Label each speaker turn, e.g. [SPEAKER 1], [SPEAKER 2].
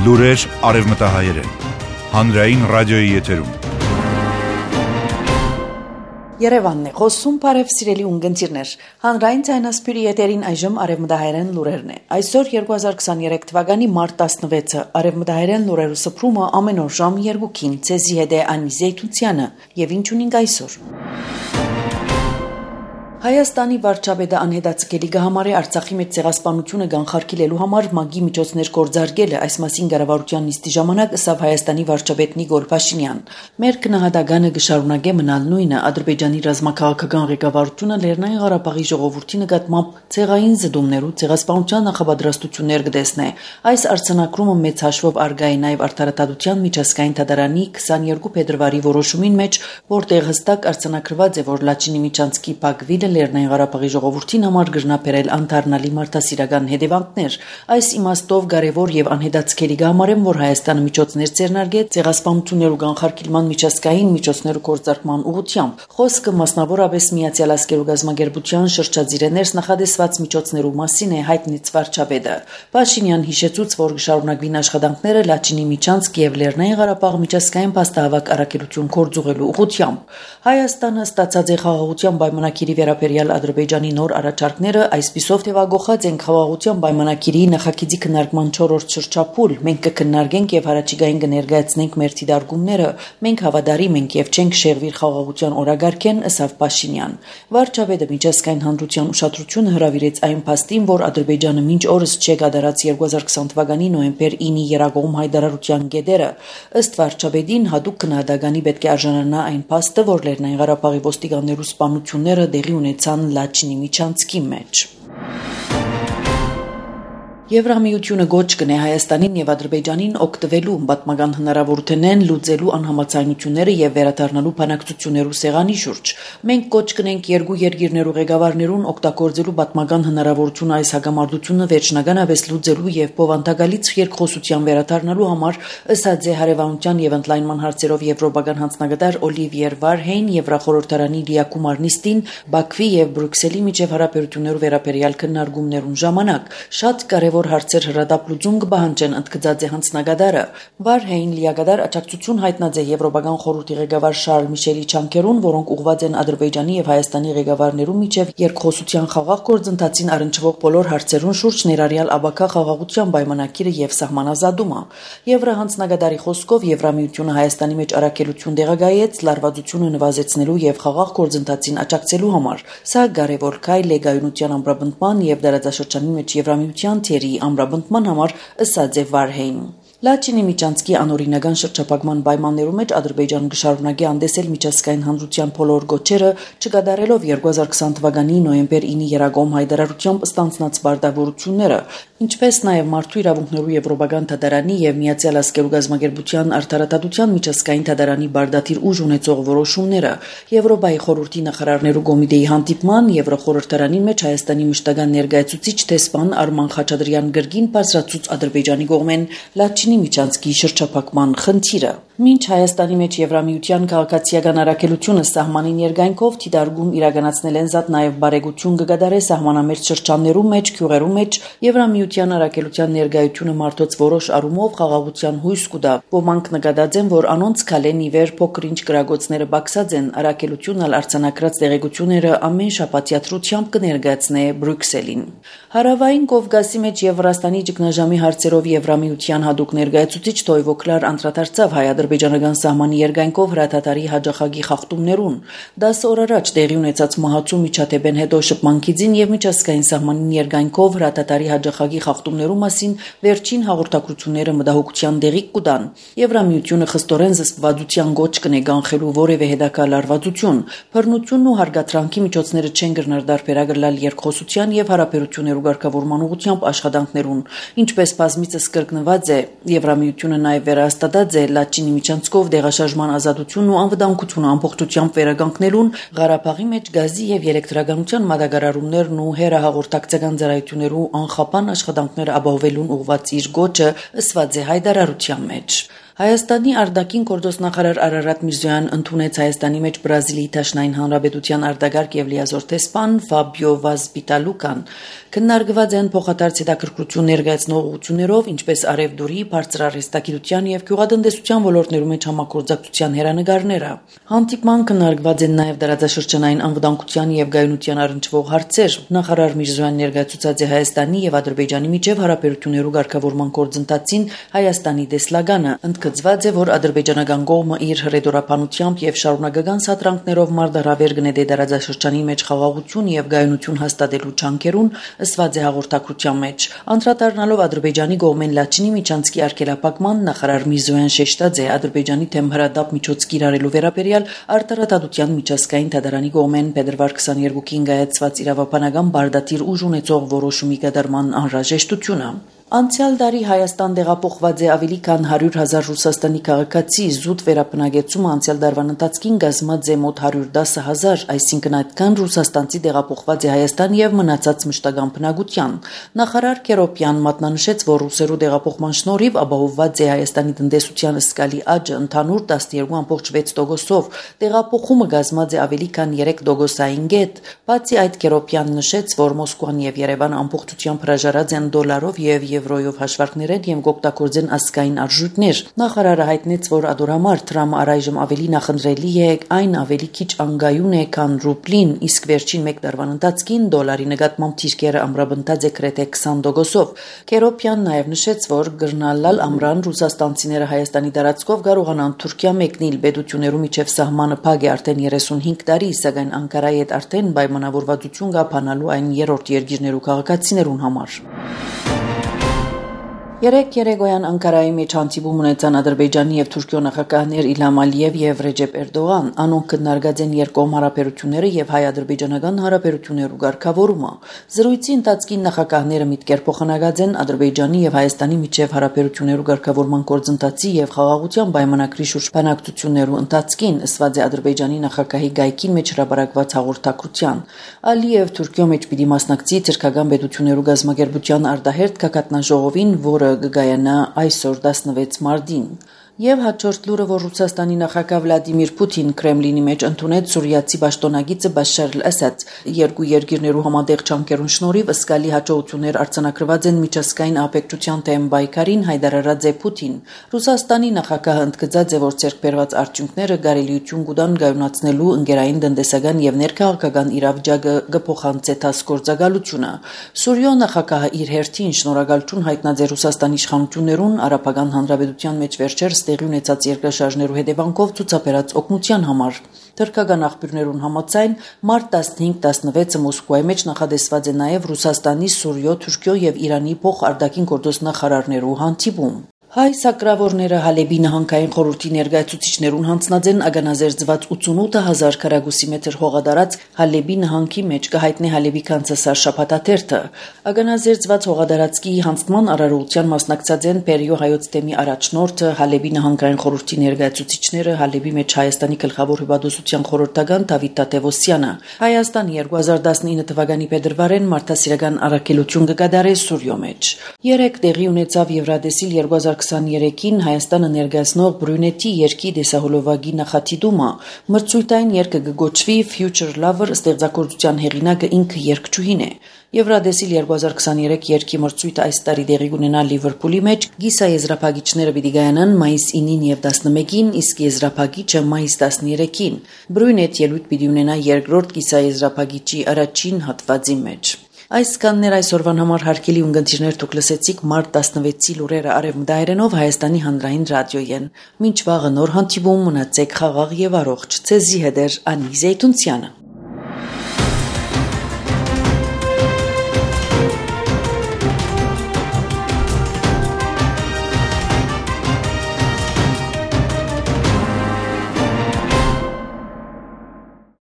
[SPEAKER 1] Լուրեր արևմտահայերեն, հանրային ռադիոյի եթերում։
[SPEAKER 2] Երևանն է, խոսում բարև սիրելի ունգընտիրներ, հանրային ցայնասպիրի եթերին այժմ արևմտահայերեն լուրերն է։ Այսօր 2023 թվականի մարտ 16-ը արևմտահայերեն լուրերու սփռումը ամեն օր ժամ 2-ին ցեզի հետ է Անի Զեյթունցյանը եւ ինչ ունենք այսօր։ Հայաստանի վարչապետը անհետաձգելի կհամարի Արցախի մեջ ցեղասպանությունը կանխարգելելու համար ՄԱԳ-ի միջոցներ կործարկելը, այս մասին կառավարության նիստի ժամանակ ըստ Հայաստանի վարչապետ Նիկոլ Փաշինյան։ Մեր քննադատականը կշարունակե մնալ նույնը, Ադրբեջանի ռազմաքաղաքական ղեկավարությունը Լեռնային Ղարաբաղի ժողովրդի նկատմամբ ցեղային զդումներու ցեղասպանության նախապատրաստություններ կտեսնե։ Այս արձանագրումը մեծ հաշվով արգա է նաև Արդարադատության միջազգային դատարանի 22 փետրվարի որոշումին մեջ, որտեղ հստակ արձանագրված է, որ Լաչինի Միչանցկի Բաքվիլը Լեռնային Ղարաբաղի ժողովրդին համար գրնապերել անդառնալի մարդասիրական հետևանքներ։ Այս իմաստով կարևոր եւ անհետաձգելի կհամարեմ, որ Հայաստանը միջոցներ ձեռնարկե ցեղասպանություններու կանխարգելման միջազգային միջոցներու կործարկման ուղղությամբ։ Խոսքը մասնավորապես Միացյալ Ազգերու գազագերբության շրջաձիրներս նախադեсված միջոցներու մասին է հայտնից վարչապետը։ Փաշինյան հիշեցուց, որ կշարունակվին աշխատանքները Լաչինի Միչանցկ եւ Լեռնային Ղարաբաղ միջազգային փաստահավաք առաքելություն կորձուղելու ուղղությամբ։ Հայաստանը ստացած է խաղաղության պայմանագիրի վերաբերյալ Ադրբեջանի նոր առաջարկները, այսպիսով թեւագոխած են խաղաղության պայմանագիրի նախագծի քննարկման 4-րդ շրջափուլ։ Մենք կքննարկենք եւ հարաճիգային կներկայացնենք մեր դիտարկումները։ Մենք հավատարիմ ենք եւ չենք շեղվիր խաղաղության օրագարկեն, ըստ Փաշինյան։ Վարչապետը միջազգային հանրության ուշադրությունը հրավիրեց այն փաստին, որ Ադրբեջանը մինչ օրս չի կատարած 2020 թվականի նոյեմբեր 9-ի երագողմ հայտարարության գեդերը։ Ըստ վարչապետին հատուկ քննադատականի պետք է արժանանա այն փաստը, որ Լեռնային Ղարաբաղի ոստիկաններու սպանությունները դեղի ունեցան Լաչինի Միչանցկի մեջ։ Եվրամիությունը գոչ կնե Հայաստանին եւ Ադրբեջանին օգտվելու պատմական հնարավորություններն լուծելու անհամաձայնությունները եւ վերադառնալու բանակցություններու սեղանի շուրջ։ Մենք գոչ կնենք երկու երկիրներու ղեկավարներուն օգտագործելու պատմական հնարավորությունը այս հագամարտությունը վերջնականապես լուծելու եւ բովանդակալից երկխոսության վերադառնալու համար, ըստ հարևանության եւ ընդլայնման հարցերով եվրոպական հանձնագետար Օլիվիեր Վարհեյն Եվրախորհրդարանի լիակում նիստին Բաքվի եւ Բրյուսելի միջև հարաբերություններու վերաբերյալ քննարկումներուն ժամանակ շատ կարեւոր հարցեր հրադապ լուծում կբահանջեն, ընդգծած է հանձնագետարը։ Վարհեյն լիակատար աջակցություն հայտնած է Եվրոպական խորհրդի ղեկավար Շարլ Միշելի Չանկերուն, որոնք ուղղված են Ադրբեջանի եւ Հայաստանի ղեկավարներու միջև երկխոսության խաղաղ գործընթացին առնչվող բոլոր հարցերուն շուրջ, ներառյալ աբակա խաղաղության պայմանագիրը եւ սահմանազատումը։ Եվրահանձնագետարի խոսքով Եվրամիությունը Հայաստանի մեջ առաքելություն դեղագայեց լարվածությունը նվազեցնելու եւ խաղաղ գործընթացին աջակցելու համար։ Սա կարեւոր քայլ է գայունության ամրապնդման եւ դարաձաշրջանի մեջ Եվրամիության թերի ամրապնդման համար, ըստ Վարհեյն։ Լաչինի Միչանցկի անօրինական շրջափակման պայմաններու մեջ Ադրբեջանը կշարունակի անդեսել միջազգային հանրության բոլոր գոչերը, չկատարելով 2020 թվականի նոյեմբեր 9-ի երագողմ հայտարարությամբ ստանձնած պարտավորությունները, ինչպես նաև մարդու իրավունքներու Եվրոպական դատարանի եւ Միացյալ Ազգերու գազագերբության արդարադատության միջազգային դատարանի բարդաթիր ուժ ունեցող որոշումները։ Եվրոպայի խորհրդի նախարարներու կոմիտեի հանդիպման Եվրոխորհրդարանի մեջ Հայաստանի մշտական ներկայացուցիչ տեսփան Արման Խաչատրյան գրգին բարձրացուց Ադրբեջանի կողմեն Լաչինի Միչանցկի շրջափակման խնդիրը։ Մինչ Հայաստանի մեջ Եվրամիության քաղաքացիական առաքելությունը սահմանի ներգայնքով դիտարկում իրականացնել են զատ նաև բարեգություն կգադարե սահմանամերձ շրջաններու մեջ, գյուղերու մեջ Եվրամիության առաքելության ներգայությունը մարդոց որոշ առումով խաղաղության հույս կուտա։ Ոմանք նկատած են, որ անոնց քալեն իվեր փոքրինչ գրագոցները բացած են, առաքելությունն արձանագրած տեղեկությունները ամեն շաբաթ թրությամբ կներկայացնե Բրյուսելին։ Հարավային Կովկասի մեջ Եվրաստանի ճգնաժամի հարցերով Եվրամիության հատուկ ներկայացուցիչ Տոյվոկլար անդրադարձավ հայ-ադրբեջանական սահմանի երկայնքով հրաթաթարի հաջախագի խախտումներուն։ 10 օր առաջ տեղի ունեցած մահացու միջադեպեն հետո շփմանքիցին եւ միջազգային սահմանի երկայնքով հրաթաթարի հաջախագի խախտումներու մասին վերջին հաղորդակցությունները մտահոգության դեղի կուտան։ Եվրամիությունը խստորեն զսպվածության գոչ կնե կանխելու որևէ հետագա լարվածություն։ Բռնությունն ու հարգատրանքի միջոցները չեն կրնար դարբերագրել երկխոսության եւ հարաբերություններու ղեկավարման ուղղությամբ աշխատանքներուն, ինչպես բազմիցս կրկնված է։ Եվրամիությունը նաև վերահաստատած է Լաչինի Միչանցկով դեղաշարժման ազատությունն ու անվտանգությունը ամբողջությամբ վերականգնելուն, Ղարաբաղի մեջ գազի եւ էլեկտրականության մատակարարումներն ու հերահաղորդակցական ծառայություններու անխափան աշխատանքները ապահովելուն ուղղված իր գոչը ըսված է հայտարարության մեջ։ Հայաստանի արտաքին գործոստնախարար Արարատ Միրզոյան ընդունեց Հայաստանի մեջ Բրազիլիի Դաշնային Հանրապետության արտագաղթ եւ լիազոր տեսփան Ֆաբիո Վազ Պիտալուկան քննարկված են փոխադարձ հետաքրքրություն ներկայացնող ուղղություններով, ինչպես Արևդուրի, բարձր արհեստագիտության եւ գյուղատնտեսության ոլորտներում մեջ համագործակցության հերանեկարները։ Հանդիպման քննարկված են նաեւ դարաձաշրջանային անվտանգության եւ գայունության առնչվող հարցեր։ Նախարար Միրզոյան ներկայացուցած է Հայաստանի եւ Ադրբեջանի միջև հարաբերություններու ղեկավարման գործընթացին Հայաստանի դեսլագանը։ Ընդգծված է, որ ադրբեջանական կողմը իր հռետորաբանությամբ եւ շարունակական սատրանքներով մարտահրավեր գնեդե դարաձաշրջանի մեջ խաղաղություն եւ գայունություն հաստատելու ջանքերուն, ըսված է հաղորդակցության մեջ։ Անդրադառնալով Ադրբեջանի կողմեն Լաչինի միջանցքի արգելափակման, նախարար Միրզոյան շեշտած է Ադրբեջանի թեմ հրադապ միջոց կիրառելու վերաբերյալ արտարադատության միջազգային դատարանի կողմեն փետրվար 22-ին կայացված իրավաբանական բարդատիր ուժ ունեցող որոշումի կատարման անհրաժեշտությունը։ Անցյալ տարի Հայաստան տեղափոխված է ավելի քան 100,000 Ռուսաստանի քաղաքացի, զուտ վերաբնակեցումը անցյալ տարվան ընթացքին կազմած է մոտ 110,000, այսինքն այդքան ռուսաստանցի տեղափոխված է Հայաստան եւ մնացած մշտական բնակության։ Նախարար Քերոպյան մատնանշեց, որ ռուսերու տեղափոխման շնորհիվ ապահովված է Հայաստանի տնտեսության զգալի աճը ընդհանուր 12.6%-ով, տեղափոխումը կազմած է ավելի քան 3%-ային գետ։ Բացի այդ, Քերոպյան նշեց, որ Մոսկվան եւ Երևանը ամբողջությամբ հրաժարած են դոլարով եւ եվրոյով հաշվարկներ են եւ կօգտագործեն ազգային արժույթներ։ Նախարարը հայտնեց, որ ադորամար Թրամը առայժմ ավելի նախընտրելի է, այն ավելի քիչ անգայուն է, քան ռուբլին, իսկ վերջին 1 տարվան ընթացքին դոլարի նկատմամբ թիրքերը ամրապնդած է գրեթե 20%-ով։ Քերոպյան նաեւ նշեց, որ գրնալալ ամրան ռուսաստանցիները Հայաստանի տարածքով կարողանան Թուրքիա մեկնել, պետություններու միջև սահմանը փակ է արդեն 35 տարի, սակայն Անկարայի հետ արդեն պայմանավորվածություն կա բանալու այն երրորդ երկիրներու քաղաքացիներուն համար։ Երեկոյան Անկարայի մեջ հանդիպում ունեցան Ադրբեջանի եւ Թուրքիո նախագահներ Իլհամ Ալիև եւ Ռեջեփ Էրդողան։ Անոնք քննարկած են երկկողմ հարաբերությունները եւ հայ-ադրբեջանական հարաբերություններու ղեկավարումը։ Զրույցի ընթացքին նախագահները միտքեր փոխանակած են Ադրբեջանի եւ Հայաստանի միջև հարաբերություններու ղեկավարման գործընթացի եւ խաղաղության պայմանագրի շուրջ բանակցություններու ընթացքին, ըսված է Ադրբեջանի նախագահի գայքին մեջ հրապարակված հաղորդակցության։ Ալիև Թուրքիո մեջ պիտի մասնակցի թուրքական պետություններու գազམ་ակերպության արտահերթ գագաթնաժողովին, որը կգայանա այսօր 16 մարտին։ Եվ հաջորդ լուրը, որ Ռուսաստանի նախագահ Վլադիմիր Պուտին Կրեմլինի մեջ ընդունեց սուրիացի պաշտոնագիծը Բաշար al-Ասադ։ Երկու երկիրներու համատեղ ջանքերուն շնորհիվ զգալի հաջողություններ արձանագրված են միջազգային ահաբեկչության դեմ պայքարին, հայտարարած է Պուտին։ Ռուսաստանի նախագահը ընդգծած է, որ ձեռքբերված արդյունքները կարելիություն կտան գայունացնելու ընկերային տնտեսական եւ ներքաղաքական իրավիճակը կփոխանցի գործակալությունը։ Սուրիո նախագահը իր հերթին շնորհակալություն հայտնած է Ռուսաստանի իշխանություններուն արաբական հանրապետության մեջ վերջերս տեղի ունեցած երկրաշարժներու հետևանքով ցուցաբերած օգնության համար։ Թուրքական աղբյուրներուն համաձայն մարտ 15-16-ը Մոսկվայի մեջ նախադեсված է նաև Ռուսաստանի, Սուրիո, Թուրքիո եւ Իրանի փոխարտաքին գործոստնախարարներու հանդիպում։ Հայ սակրավորները Հալեբի նահանգային խորհրդի ներկայացուցիչներուն հանձնած են ագանազերծված 88,000 քառակուսի մետր հողադարած Հալեբի նահանգի մեջ կհայտնի Հալեբի կանցասար շաբաթաթերթը։ Ագանազերծված հողադարածքի հանձնման արարողության մասնակցած են Պերիո հայոց թեմի առաջնորդը, Հալեբի նահանգային խորհրդի ներկայացուցիչները, Հալեբի մեջ Հայաստանի գլխավոր հյուպատոսության խորհրդական Դավիթ Տատևոսյանը։ Հայաստան 2019 թվականի փետրվարին մարդասիրական առաքելություն կկատարի Սուրիո մեջ։ 3 տեղի ունեցավ Եվրադեսիլ 2023-ին Հայաստանը ներկայացնող Բրյունետի երկի դեսահոլովակի նախատիտումը։ Մրցույթային երգը կգոչվի Future Lover, ստեղծագործության հեղինակը ինքը երգչուհին է։ Եվրադեսիլ 2023 երգի մրցույթը այս տարի տեղի կունենա Լիվերպուլի մեջ, գիսաեզրափակիչները պիտի գայանան մայիս 9-ին եւ 11-ին, իսկ եզրափակիչը մայիս 13-ին։ Բրյունետ ելույթ պիտի ունենա երկրորդ գիսաեզրափակիչի առաջին հատվածի մեջ։ Այսքաններ այսօրվան համար հարգելի ունգընտիրներ, դուք լսեցիք մարտ 16-ի լուրերը արևմտահայերենով Հայաստանի հանրային ռադիոյեն։ Մինչ վաղը նոր հանդիպում, մնացեք խաղաղ եւ առողջ։ Ցեզի հետ Անի Զեյթունցյանը։